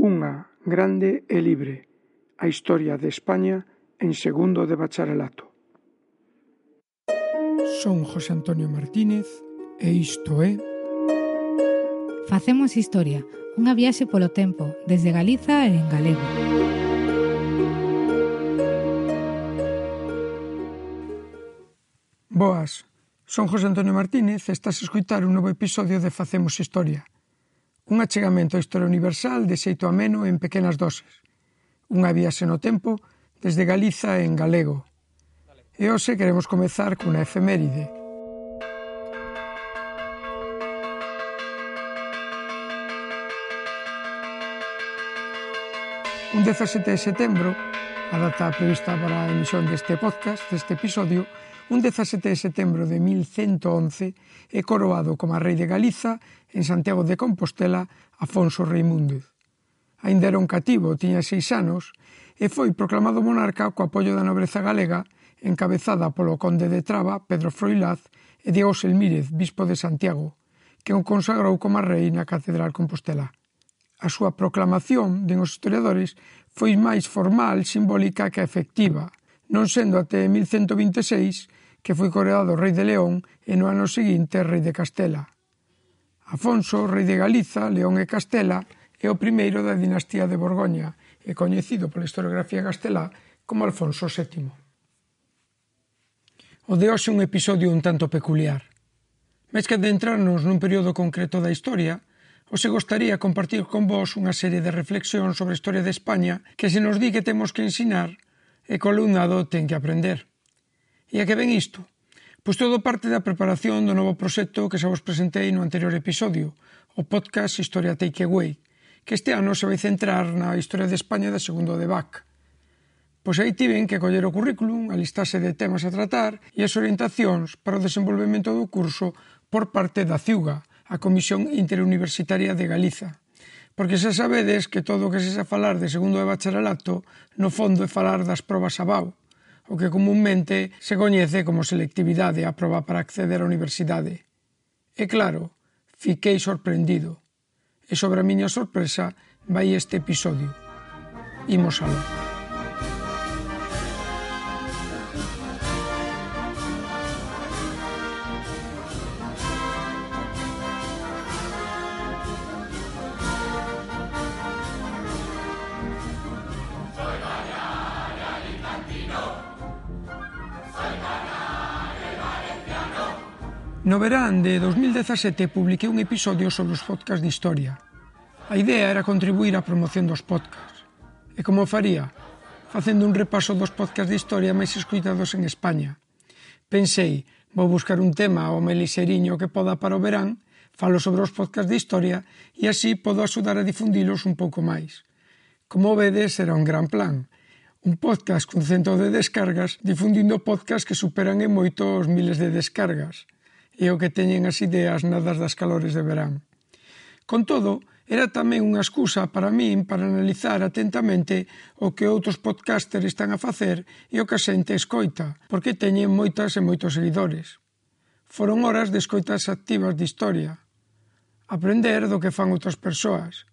Unha grande e libre, a historia de España en segundo de bacharelato. Son José Antonio Martínez e isto é Facemos historia, unha viaxe polo tempo, desde Galiza e en galego. Boas, son José Antonio Martínez e estás a escoitar un novo episodio de Facemos Historia. Un achegamento á historia universal de xeito ameno en pequenas doses. Unha viaxe no tempo desde Galiza en galego. E hoxe queremos comezar cunha efeméride. Un 17 de setembro, a data prevista para a emisión deste podcast, deste episodio, un 17 de setembro de 1111 é coroado como rei de Galiza en Santiago de Compostela Afonso Reimúndez. Aínda era un cativo, tiña 6 anos, e foi proclamado monarca co apoio da nobreza galega encabezada polo conde de Traba, Pedro Froilaz, e Diego Selmírez, bispo de Santiago, que o consagrou como rei na Catedral Compostela. A súa proclamación, den os historiadores, foi máis formal, simbólica que efectiva, non sendo até 1126 que foi coroado rei de León e no ano seguinte rei de Castela. Afonso, rei de Galiza, León e Castela, é o primeiro da dinastía de Borgoña e coñecido pola historiografía castelá como Alfonso VII. O de hoxe é un episodio un tanto peculiar. Máis que adentrarnos nun período concreto da historia, hoxe gostaría compartir con vos unha serie de reflexións sobre a historia de España que se nos di que temos que ensinar e que o alumnado ten que aprender. E a que ven isto? Pois todo parte da preparación do novo proxecto que xa vos presentei no anterior episodio, o podcast Historia Takeaway, que este ano se vai centrar na historia de España da segundo de BAC. Pois aí tiven que coller o currículum, a listaxe de temas a tratar e as orientacións para o desenvolvemento do curso por parte da CIUGA, a Comisión Interuniversitaria de Galiza. Porque xa sabedes que todo o que se xa falar de segundo de bacharelato no fondo é falar das probas ABAU, o que comúnmente se coñece como selectividade a proba para acceder á universidade. E claro, fiquei sorprendido. E sobre a miña sorpresa vai este episodio. Imos aló. No verán de 2017 publiquei un episodio sobre os podcasts de historia. A idea era contribuir á promoción dos podcasts. E como faría? Facendo un repaso dos podcasts de historia máis escoitados en España. Pensei, vou buscar un tema ao melixeriño que poda para o verán, falo sobre os podcasts de historia e así podo axudar a difundilos un pouco máis. Como vedes, era un gran plan. Un podcast cun 100 de descargas difundindo podcasts que superan en moito os miles de descargas. E o que teñen as ideas nadas das calores de verán. Con todo, era tamén unha excusa para min para analizar atentamente o que outros podcasters están a facer e o que a xente escoita, porque teñen moitas e moitos seguidores. Foron horas de escoitas activas de historia. Aprender do que fan outras persoas.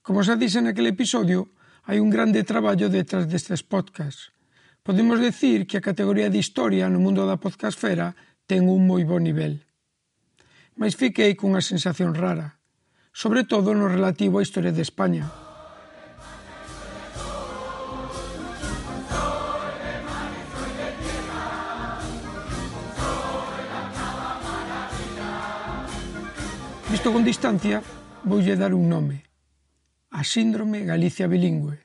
Como xa dixen naquele episodio, hai un grande traballo detrás destes podcasts. Podemos decir que a categoría de historia no mundo da podcastfera ten un moi bo nivel. Mais fiquei cunha sensación rara, sobre todo no relativo á historia de España. Visto con distancia, voulle dar un nome: a síndrome Galicia bilingüe.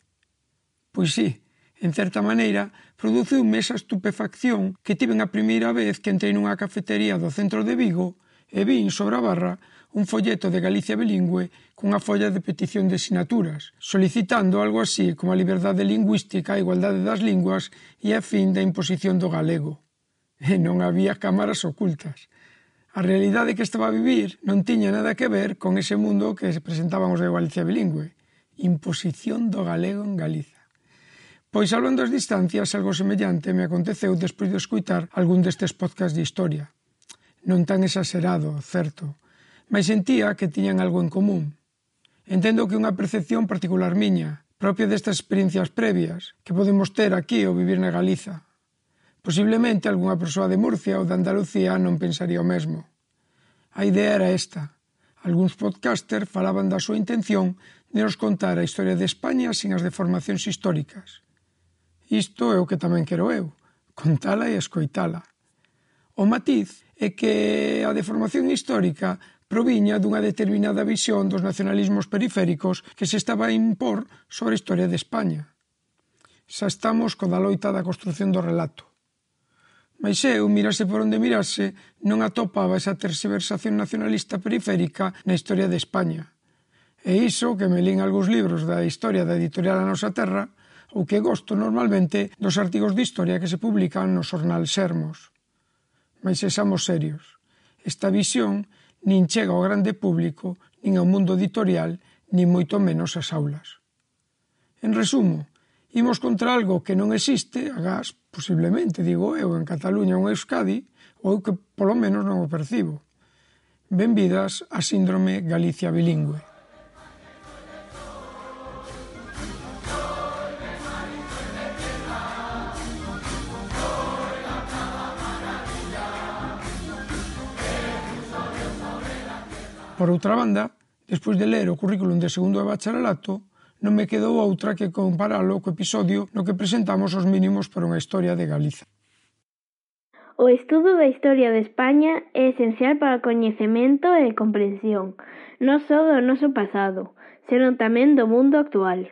Pois sí, en certa maneira, produciume esa estupefacción que tiven a primeira vez que entrei nunha cafetería do centro de Vigo e vin sobre a barra un folleto de Galicia bilingüe cunha folla de petición de sinaturas, solicitando algo así como a liberdade lingüística, a igualdade das linguas e a fin da imposición do galego. E non había cámaras ocultas. A realidade que estaba a vivir non tiña nada que ver con ese mundo que se presentaban os de Galicia bilingüe. Imposición do galego en Galiza. Pois, salvando as distancias, algo semellante me aconteceu despois de escutar algún destes podcasts de historia. Non tan exagerado, certo, mas sentía que tiñan algo en común. Entendo que é unha percepción particular miña, propia destas experiencias previas que podemos ter aquí ao vivir na Galiza. Posiblemente algunha persoa de Murcia ou de Andalucía non pensaría o mesmo. A idea era esta. Algúns podcasters falaban da súa intención de nos contar a historia de España sin as deformacións históricas. Isto é o que tamén quero eu, contala e escoitala. O matiz é que a deformación histórica proviña dunha determinada visión dos nacionalismos periféricos que se estaba a impor sobre a historia de España. Xa estamos co da loita da construción do relato. Mais eu, mirase por onde mirase, non atopaba esa tergiversación nacionalista periférica na historia de España. E iso que me lín algúns libros da historia da editorial A Nosa Terra, ou que gosto normalmente dos artigos de historia que se publican no xornal Sermos. Mas sexamos serios. Esta visión nin chega ao grande público, nin ao mundo editorial, nin moito menos ás aulas. En resumo, imos contra algo que non existe, agás, posiblemente, digo eu, en Cataluña ou en Euskadi, ou que polo menos non o percibo. Benvidas á síndrome Galicia bilingüe. Por outra banda, despois de ler o currículum de segundo de bacharelato, non me quedou outra que comparalo co episodio no que presentamos os mínimos para unha historia de Galiza. O estudo da historia de España é esencial para o coñecemento e comprensión, non só do noso pasado, senón tamén do mundo actual.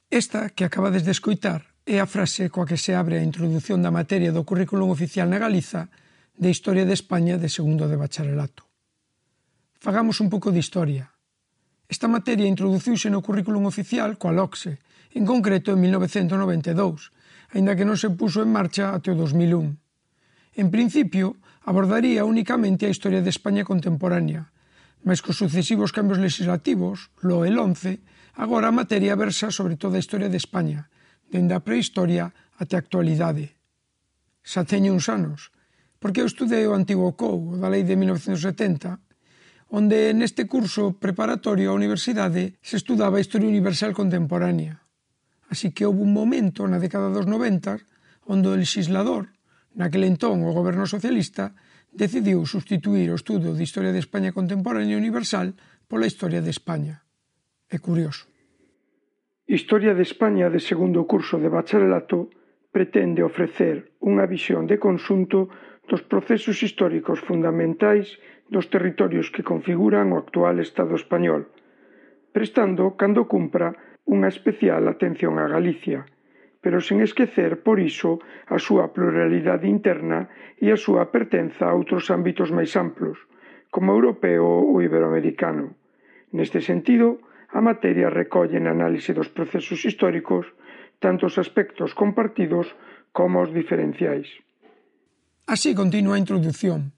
Esta que acabades de escoitar é a frase coa que se abre a introdución da materia do currículum oficial na Galiza de Historia de España de segundo de bacharelato. Fagamos un pouco de historia. Esta materia introduciuse no currículum oficial coa LOCSE, en concreto en 1992, aínda que non se puso en marcha até o 2001. En principio, abordaría únicamente a historia de España contemporánea, mas cos sucesivos cambios legislativos, lo el 11, agora a materia versa sobre toda a historia de España, dende a prehistoria até a actualidade. Xa teño uns anos, porque eu estudei o antigo COU, o da lei de 1970, onde neste curso preparatorio á universidade se estudaba a historia universal contemporánea. Así que houve un momento na década dos 90 onde o legislador, naquele entón o goberno socialista, decidiu substituír o estudo de Historia de España contemporánea universal pola Historia de España. É curioso. Historia de España de segundo curso de bacharelato pretende ofrecer unha visión de conxunto dos procesos históricos fundamentais dos territorios que configuran o actual Estado español, prestando, cando cumpra, unha especial atención a Galicia, pero sen esquecer, por iso, a súa pluralidade interna e a súa pertenza a outros ámbitos máis amplos, como o europeo ou iberoamericano. Neste sentido, a materia recolle na análise dos procesos históricos tanto os aspectos compartidos como os diferenciais. Así continúa a introdución.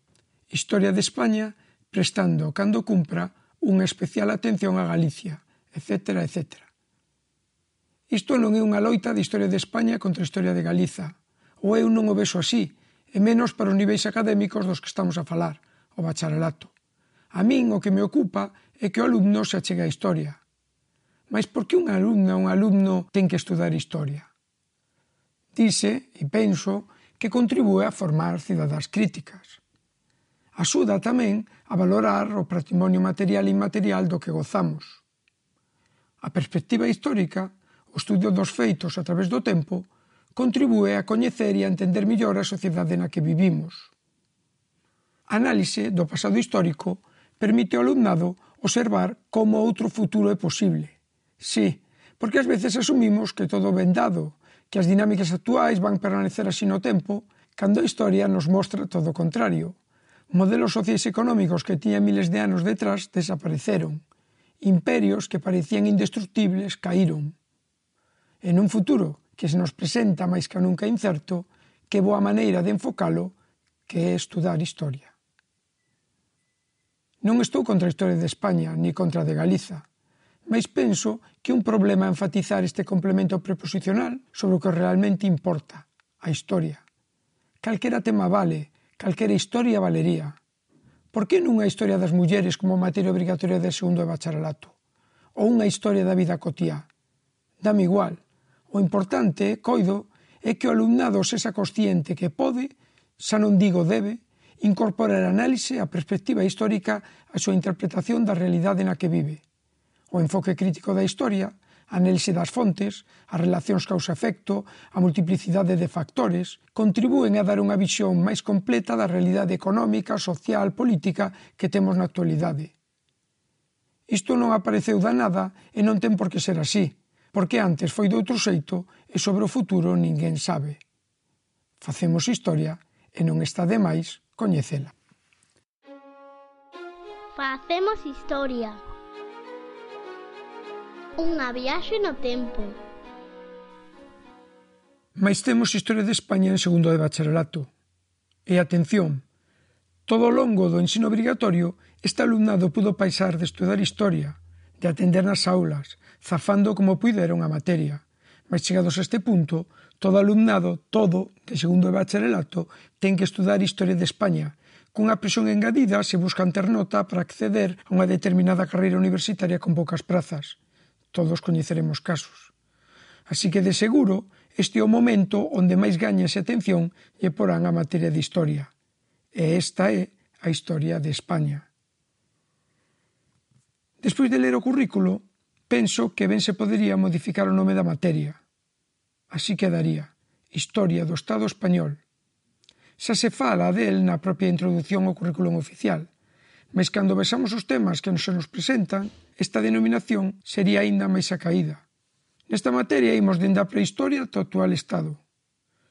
Historia de España, prestando, cando cumpra, unha especial atención a Galicia, etc., etc. Isto non é unha loita de Historia de España contra a Historia de Galiza, ou eu non o vexo así, e menos para os niveis académicos dos que estamos a falar, o bacharelato. A min o que me ocupa é que o alumno se achegue á historia. Mas por que unha alumna ou un alumno ten que estudar historia? Dice, e penso, que contribúe a formar cidadás críticas. Axuda tamén a valorar o patrimonio material e inmaterial do que gozamos. A perspectiva histórica, o estudio dos feitos a través do tempo, contribúe a coñecer e a entender mellor a sociedade na que vivimos. A análise do pasado histórico permite ao alumnado observar como outro futuro é posible. Sí, porque ás veces asumimos que todo ben dado, que as dinámicas actuais van permanecer así no tempo, cando a historia nos mostra todo o contrario. Modelos sociais económicos que tiñan miles de anos detrás desapareceron. Imperios que parecían indestructibles caíron. En un futuro que se nos presenta máis que nunca incerto, que boa maneira de enfocalo que é estudar historia. Non estou contra a historia de España ni contra a de Galiza, mas penso que un problema é enfatizar este complemento preposicional sobre o que realmente importa, a historia. Calquera tema vale, calquera historia valería. Por que non unha historia das mulleres como materia obrigatoria de segundo de bacharelato? Ou unha historia da vida cotiá? Dame igual. O importante, coido, é que o alumnado sexa consciente que pode, xa non digo debe, incorporar a análise, a perspectiva histórica, a súa interpretación da realidade na que vive. O enfoque crítico da historia, a análise das fontes, as relacións causa-efecto, a multiplicidade de factores, contribúen a dar unha visión máis completa da realidade económica, social, política que temos na actualidade. Isto non apareceu da nada e non ten por que ser así, porque antes foi de outro xeito e sobre o futuro ninguén sabe. Facemos historia e non está de máis coñecela. Facemos historia. Unha viaxe no tempo. Mais temos historia de España en segundo de bacharelato. E atención, todo o longo do ensino obrigatorio, este alumnado pudo paisar de estudar historia, de atender nas aulas, zafando como puideron a materia. Mas chegados a este punto, todo alumnado, todo, de segundo de bacharelato, ten que estudar historia de España, cunha presión engadida se buscan ter nota para acceder a unha determinada carreira universitaria con poucas prazas. Todos coñeceremos casos. Así que, de seguro, este é o momento onde máis gañas e atención lle porán a materia de historia. E esta é a historia de España. Despois de ler o currículo, penso que ben se podería modificar o nome da materia. Así quedaría Historia do Estado Español. Xa se fala del na propia introdución ao currículum oficial, mas cando vexamos os temas que se nos presentan, esta denominación sería aínda máis acaída. Nesta materia imos dende a prehistoria ata o actual Estado.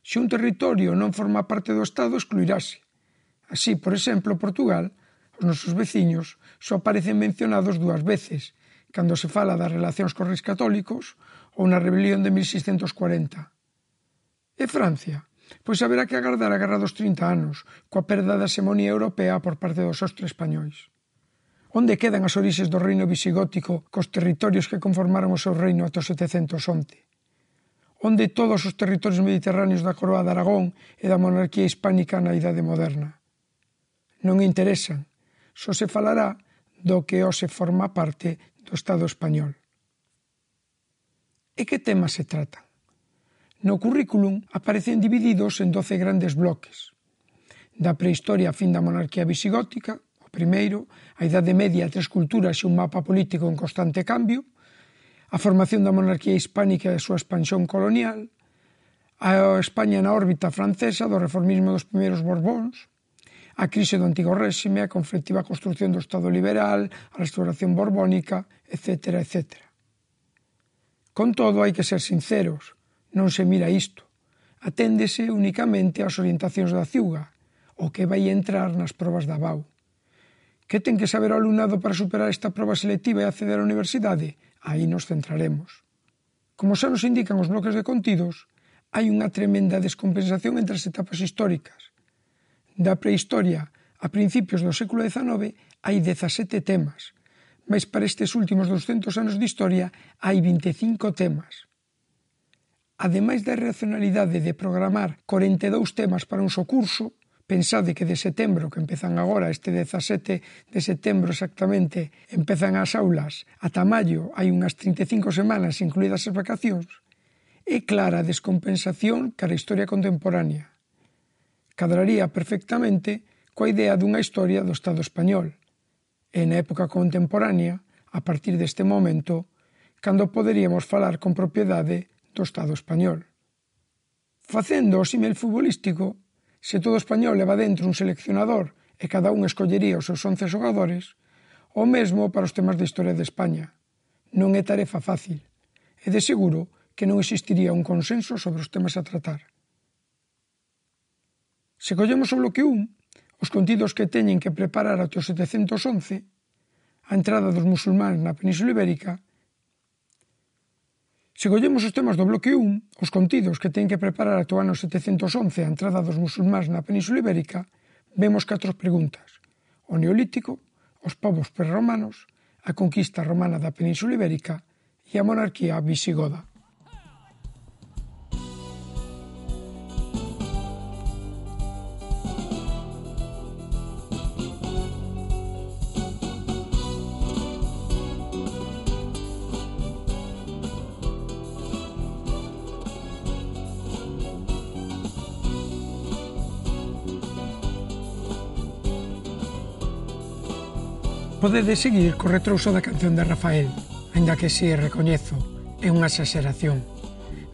Se un territorio non forma parte do Estado, excluirase. Así, por exemplo, Portugal, os nosos veciños, só aparecen mencionados 2 veces, cando se fala das relacións cos reis católicos ou na rebelión de 1640. E Francia? Pois haberá que agardar a Guerra dos 30 anos, coa perda da hexemonía europea por parte dos ostres españois. Onde quedan as orixes do reino visigótico cos territorios que conformaron o seu reino ata o 711? Onde todos os territorios mediterráneos da Coroa de Aragón e da monarquía hispánica na Idade Moderna? Non interesan, só se falará do que hoxe forma parte do Estado español. E que temas se tratan? No currículum aparecen divididos en 12 grandes bloques. Da prehistoria a fin da monarquía visigótica, o primeiro, a Idade Media, 3 culturas e un mapa político en constante cambio, a formación da monarquía hispánica e a súa expansión colonial, a España na órbita francesa do reformismo dos primeiros Borbóns, a crise do antigo réxime, a conflictiva construción do Estado liberal, a restauración borbónica, etc., etc. Con todo, hai que ser sinceros, non se mira isto. Aténdese únicamente ás orientacións da CIUGA, o que vai entrar nas probas da BAU. Que ten que saber o alumnado para superar esta proba selectiva e acceder á universidade? Aí nos centraremos. Como xa nos indican os bloques de contidos, hai unha tremenda descompensación entre as etapas históricas. Da prehistoria a principios do século XIX hai 17 temas, mas para estes últimos 200 anos de historia hai 25 temas. Ademais da irracionalidade de programar 42 temas para un só curso, pensade que de setembro, que empezan agora, este 17 de setembro exactamente, empezan as aulas, ata maio hai unhas 35 semanas incluídas as vacacións, é clara a descompensación cara a historia contemporánea. Cadraría perfectamente coa idea dunha historia do Estado español, e na época contemporánea, a partir deste momento, cando poderíamos falar con propiedade do Estado español. Facendo o símil futbolístico, se todo español leva dentro un seleccionador e cada un escollería os seus 11 xogadores, o mesmo para os temas de historia de España. Non é tarefa fácil, e de seguro que non existiría un consenso sobre os temas a tratar. Se collemos o bloque 1, os contidos que teñen que preparar até o 711, a entrada dos musulmáns na Península Ibérica. Se collemos os temas do bloque 1, os contidos que teñen que preparar ata o ano 711 a entrada dos musulmáns na Península Ibérica, vemos 4 preguntas: o Neolítico, os povos prerromanos, a conquista romana da Península Ibérica e a monarquía visigoda. Podedes seguir co retrouso da canción de Rafael, aínda que se recoñezo, é unha exageración.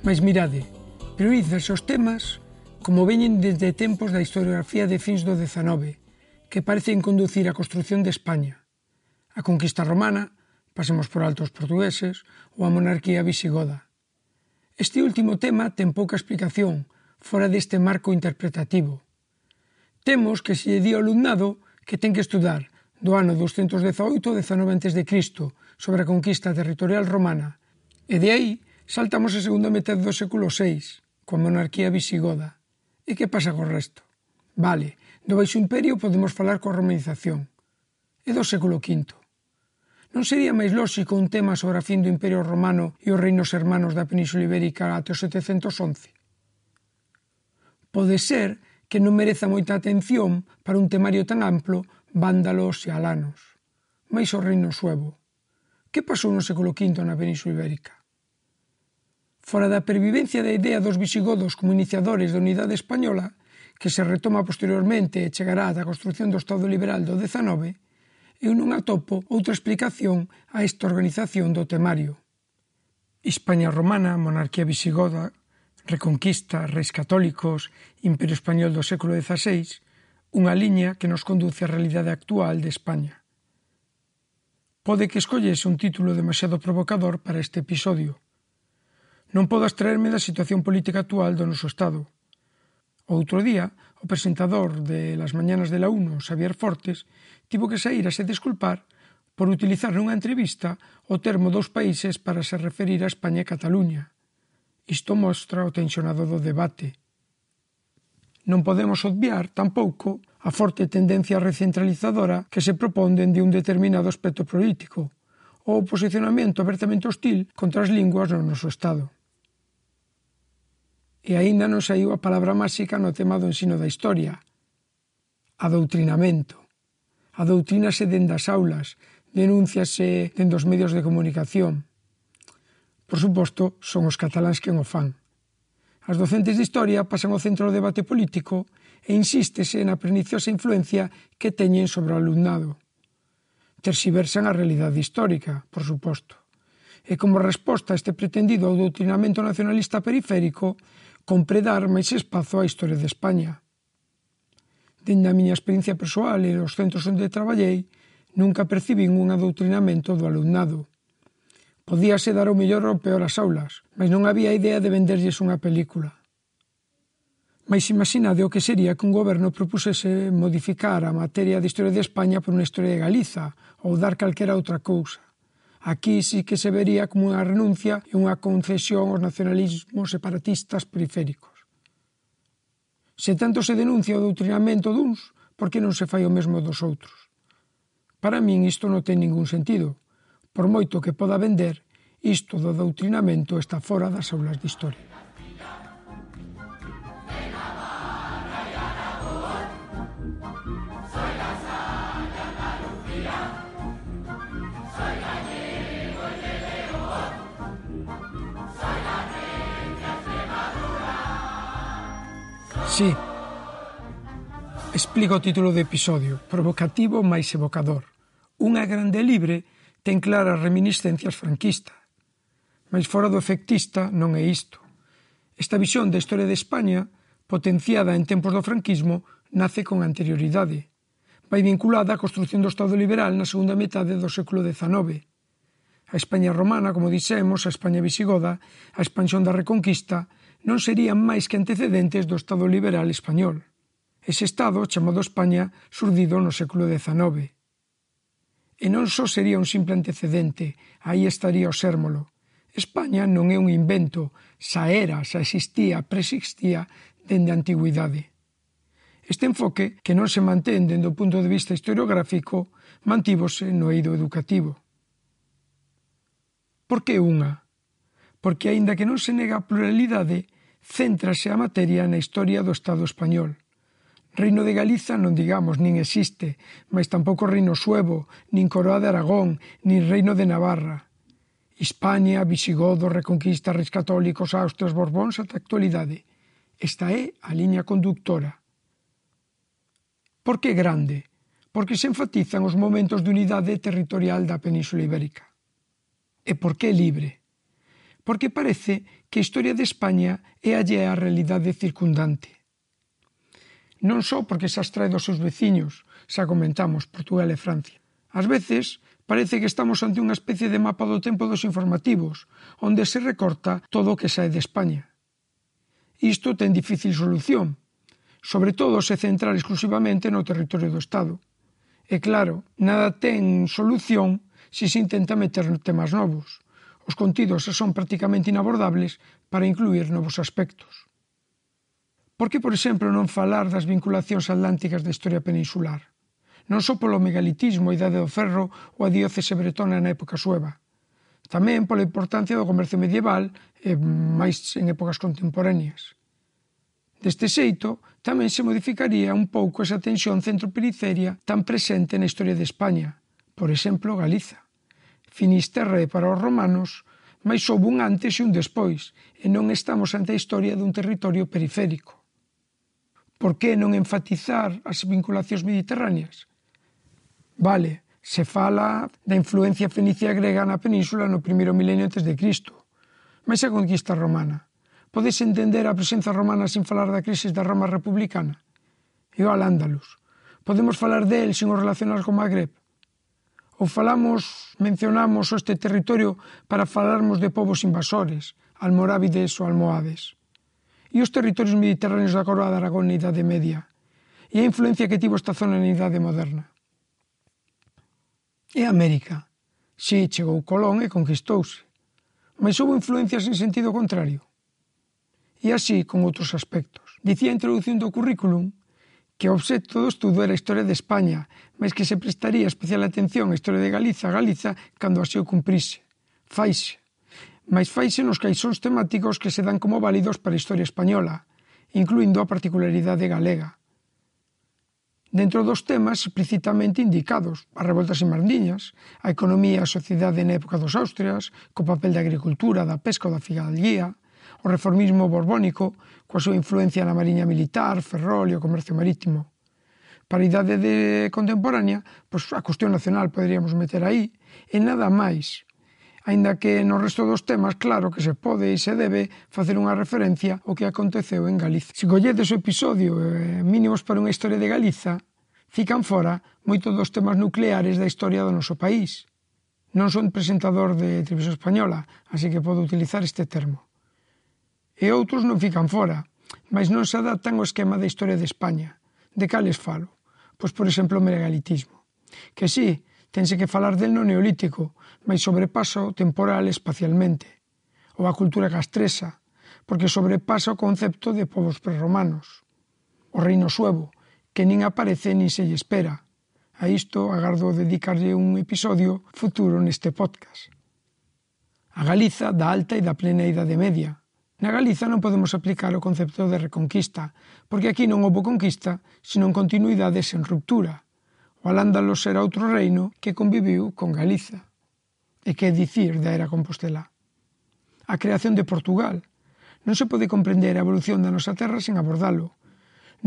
Mais mirade, priorizas os temas como veñen desde tempos da historiografía de fins do XIX, que parecen conducir á construción de España. A conquista romana, pasemos por alto os portugueses, ou a monarquía visigoda. Este último tema ten pouca explicación, fora deste marco interpretativo. Temos que se lle di ao alumnado que ten que estudar do ano 218-19 a.C., sobre a conquista territorial romana, e de aí saltamos a segunda metade do século VI, coa monarquía visigoda. E que pasa co resto? Vale, do Baixo Imperio podemos falar coa romanización. E do século V? Non sería máis lóxico un tema sobre a fin do Imperio Romano e os reinos hermanos da Península Ibérica até o 711? Pode ser que non mereza moita atención para un temario tan amplo vándalos e alanos. Mais o reino suevo. Que pasou no século V na Península Ibérica? Fora da pervivencia da idea dos visigodos como iniciadores da unidade española, que se retoma posteriormente e chegará á construción do Estado liberal do XIX, eu non atopo outra explicación a esta organización do temario. España romana, monarquía visigoda, reconquista, reis católicos, Imperio español do século XVI, unha liña que nos conduce á realidade actual de España. Pode que escollese un título demasiado provocador para este episodio. Non podo abstraerme da situación política actual do noso Estado. Outro día, o presentador de Las Mañanas de la 1, Xavier Fortes, tivo que saír a se desculpar por utilizar nunha entrevista o termo dos países para se referir a España e Cataluña. Isto mostra o tensionado do debate. Non podemos obviar, tampouco, a forte tendencia recentralizadora que se propón dende un determinado aspecto político, ou o posicionamento abertamente hostil contra as linguas no noso Estado. E aínda non saiu a palabra máxica no tema do ensino da historia. Adoutrinamento. Adoutrínase dende as aulas, denúnciase dende os medios de comunicación. Por suposto, son os cataláns quen o fan. As docentes de historia pasan ao centro do debate político e insístese na perniciosa influencia que teñen sobre o alumnado. Terxiversan a realidade histórica, por suposto. E como resposta a este pretendido adoutrinamento nacionalista periférico, compre dar máis espazo á historia de España. Dende a miña experiencia persoal e os centros onde traballei, nunca percibín un adoutrinamento do alumnado. Podíase dar o mellor ou peor ás aulas, mas non había idea de venderlles unha película. Mais imaginade o que sería que un goberno propusese modificar a materia de historia de España por unha historia de Galiza ou dar calquera outra cousa. Aquí sí que se vería como unha renuncia e unha concesión aos nacionalismos separatistas periféricos. Se tanto se denuncia o doutrinamento duns, por que non se fai o mesmo dos outros? Para min isto non ten ningún sentido. Por moito que poda vender, isto do doutrinamento está fora das aulas de historia. Sí, explico o título do episodio, provocativo máis evocador. Unha grande libre ten claras reminiscencias franquistas, mas fora do efectista non é isto. Esta visión da historia de España, potenciada en tempos do franquismo, nace con anterioridade. Vai vinculada á construción do Estado liberal na segunda metade do século XIX. A España romana, como dixemos, a España visigoda, a expansión da Reconquista, non serían máis que antecedentes do Estado liberal español. Ese Estado, chamado España, surdido no século XIX. E non só sería un simple antecedente, aí estaría o sérmolo. España non é un invento, xa era, xa existía, preexistía dende a antigüidade. Este enfoque, que non se mantén dende o punto de vista historiográfico, mantívose no eido educativo. Por que unha? Porque, aínda que non se nega a pluralidade, céntrase a materia na historia do Estado español. Reino de Galiza non digamos, nin existe, mas tampouco Reino Suevo, nin Coroa de Aragón, nin Reino de Navarra. Hispania, visigodos, reconquista, reis católicos, Austrias, Borbóns ata a actualidade. Esta é a liña conductora. Por que grande? porque se enfatizan os momentos de unidade territorial da Península Ibérica. E por que libre? Porque parece que a historia de España é allea á realidade circundante. Non só porque se abstrae dos seus veciños, xa comentamos, Portugal e Francia. Ás veces parece que estamos ante unha especie de mapa do tempo dos informativos, onde se recorta todo o que sae de España. Isto ten difícil solución, sobre todo se centrar exclusivamente no territorio do Estado. E claro, nada ten solución se se intenta meter temas novos. Os contidos son prácticamente inabordables para incluir novos aspectos. Por que, por exemplo, non falar das vinculacións atlánticas da historia peninsular? Non só polo megalitismo, a Idade do Ferro ou a diócese bretona na época sueva. Tamén pola importancia do comercio medieval e máis en épocas contemporáneas. Deste xeito, tamén se modificaría un pouco esa tensión centro-periferia tan presente na historia de España, por exemplo, Galiza. Finisterre para os romanos, mas houve un antes e un despois, e non estamos ante a historia dun territorio periférico. Por que non enfatizar as vinculacións mediterráneas? Vale, se fala da influencia fenicia grega na península no primeiro milenio antes de Cristo, mas a conquista romana. Podes entender a presenza romana sin falar da crise da Roma republicana? E o Al-Ándalus. Podemos falar del sin o relacionar con Magreb? Ou mencionamos este territorio para falarmos de povos invasores, almorávides ou almohades? E os territorios mediterráneos da Coroa de Aragón na Idade Media? E a influencia que tivo esta zona na Idade Moderna? E América? Si, chegou Colón e conquistouse. Mas houve influencias en sentido contrario? E así con outros aspectos. Dicía a introdución do currículum que o obxecto do estudo era a historia de España, mas que se prestaría especial atención á historia de Galiza cando así o cumprise. Faise. Mas faise nos caixóns temáticos que se dan como válidos para a historia española, incluindo a particularidade galega. Dentro dos temas explicitamente indicados, as revoltas inmardiñas, a economía e a sociedade na época dos Austrias, co papel da agricultura, da pesca ou da figaldía, o reformismo borbónico, coa súa influencia na mariña militar, ferrol e o comercio marítimo. Para a idade contemporánea, pois a cuestión nacional poderíamos meter aí, e nada máis. Aínda que no resto dos temas, claro que se pode e se debe facer unha referencia ao que aconteceu en Galiza. Se colledes o episodio Mínimos para unha historia de Galiza, fican fora moitos dos temas nucleares da historia do noso país. Non son presentador de Televisión Española, así que podo utilizar este termo. E outros non fican fora, mas non se adaptan ao esquema da historia de España. De cales falo? Pois, por exemplo, o megalitismo. Que sí, tense que falar del no neolítico, mas sobrepasa o temporal espacialmente. Ou a cultura castresa, porque sobrepasa o concepto de povos prerromanos. O reino suevo, que nin aparece nin se lle espera. A isto agardo dedicarlle un episodio futuro neste podcast. A Galiza da alta e da plena Idade Media. Na Galiza non podemos aplicar o concepto de reconquista, porque aquí non houve conquista, senón continuidade sen ruptura. O Al-Ándalus era outro reino que conviviu con Galiza. E que dicir da era Compostela? A creación de Portugal. Non se pode comprender a evolución da nosa terra sen abordalo.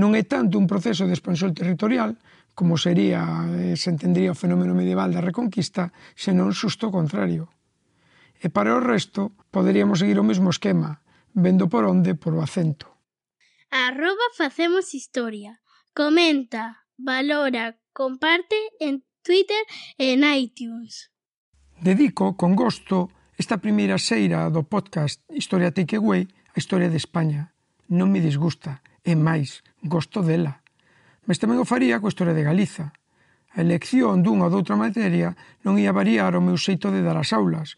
Non é tanto un proceso de expansión territorial, como se entendría o fenómeno medieval da reconquista, senón xusto o contrario. E para o resto, poderíamos seguir o mesmo esquema, vendo por onde por o acento. @facemoshistoria. Comenta, valora, comparte en Twitter e en iTunes. Dedico, con gosto, esta primeira xeira do podcast Historia Takeaway a historia de España. Non me disgusta, e máis, gosto dela. Mas tamén o faría coa historia de Galiza. A elección dunha ou doutra materia non ia variar o meu xeito de dar as aulas,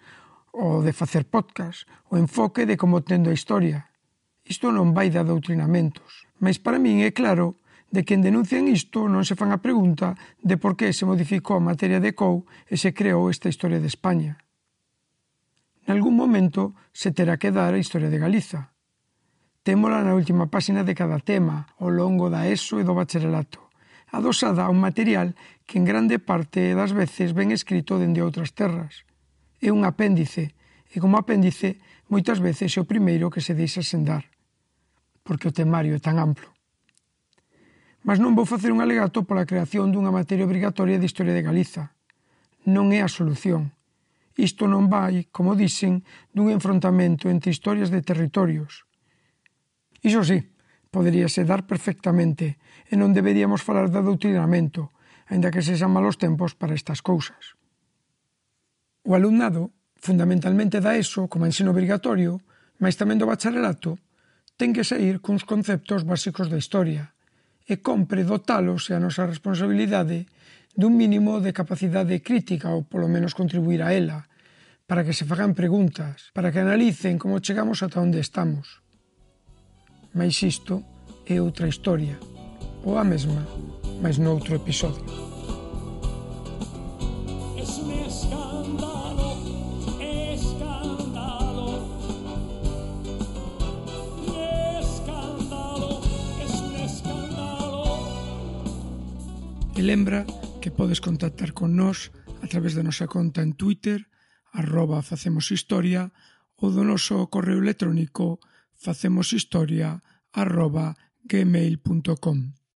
o de facer podcast, o enfoque de como tendo a historia. Isto non vai de adoutrinamentos, mas para min é claro de que en denuncian isto non se fan a pregunta de por que se modificou a materia de COU e se creou esta historia de España. Nalgún momento se terá que dar a historia de Galiza. Témola na última páxina de cada tema, ao longo da ESO e do bacharelato, adosada a un material que en grande parte das veces ven escrito dende outras terras. É un apéndice, e como apéndice moitas veces é o primeiro que se deixa sen dar, porque o temario é tan amplo. Mas non vou facer un alegato pola creación dunha materia obrigatoria de Historia de Galiza. Non é a solución. Isto non vai, como dicen, dun enfrontamento entre historias de territorios. Iso sí, poderíase dar perfectamente e non deberíamos falar de doutrinamento, aínda que sexan malos tempos para estas cousas. O alumnado, fundamentalmente da ESO como ensino obrigatorio, mais tamén do bacharelato, ten que saír cuns conceptos básicos da historia e compre dotalos e a nosa responsabilidade dun mínimo de capacidade crítica ou polo menos contribuir a ela, para que se fagan preguntas, para que analicen como chegamos ata onde estamos. Mais isto é outra historia, ou a mesma, mas noutro episodio. E lembra que podes contactar con nós a través da nosa conta en Twitter, @facemoshistoria, ou do noso correo electrónico facemoshistoria@gmail.com.